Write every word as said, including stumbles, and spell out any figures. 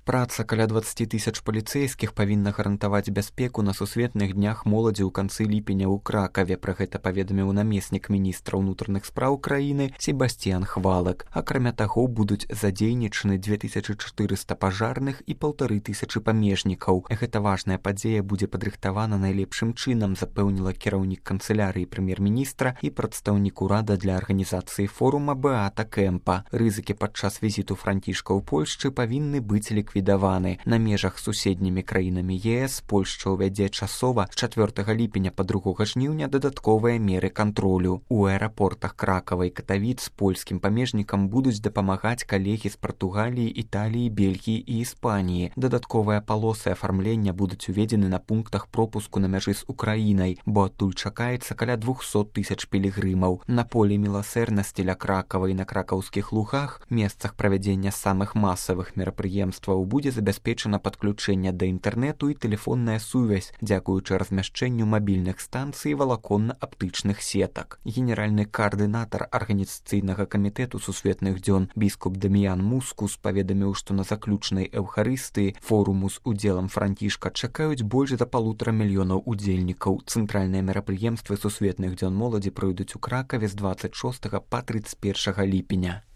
Праца каля дваццаць тысяч паліцэйскіх павінна гарантаваць бяспеку на сусветных днях моладзі ў канцы ліпеня ў Кракаве. Пра гэта паведаміў намеснік міністра ўнутраных спраў краіны Себасцьян Хвалак. Акрамя таго, будуць задзейнічаны дзве тысячы чатырыста пажарных і паўтары тысячы памежнікаў. Гэта важная падзея будзе падрыхтавана найлепшым чынам, запэўніла кіраўнік канцылярыі прэм'ер-міністра і прадстаўнік урада для арганізацыі форума Беата Кэмпа. Рызыкі падчас візіту Францішка ў Польшчы павінны быць ліквідаваны. На межах з суседнімі краінамі е эс Польшча ўвядзе часова з чацвёртага ліпеня па другога жніўня дадатковыя меры кантролю. У аэрапортах Кракава і Катавіц польскім памежнікам будуць дапамагаць калегі з Партугаліі, Італіі, Бельгіі і Іспаніі. Дадатковыя палосы афармлення будуць уведзены на пунктах пропуску на мяжы з Украінай, бо адтуль чакаецца каля двухсот тысяч пілігрымаў. На полі міласэрнасці ля Кракава і на кракаўскіх лугах, месцах правядзення самых масавых мерапрыемстваў, будзе забяспечана падключэнне да інтэрнэту і тэлефонная сувязь, дзякуючы размяшчэнню мабільных станцый валаконна-аптычных сетак. Генеральны каардынатар арганізацыйнага камітэту сусветных дзён біскуп Даміян Мускус паведаміў, што на заключнай эўхарыстыі форуму з удзелам Францішка чакаюць больш за палутара мільёнаў удзельнікаў. Цэнтральныя мерапрыемствы сусветных дзён моладзі пройдуць у Кракаве з дваццаць шостага па трыццаць першага ліпеня.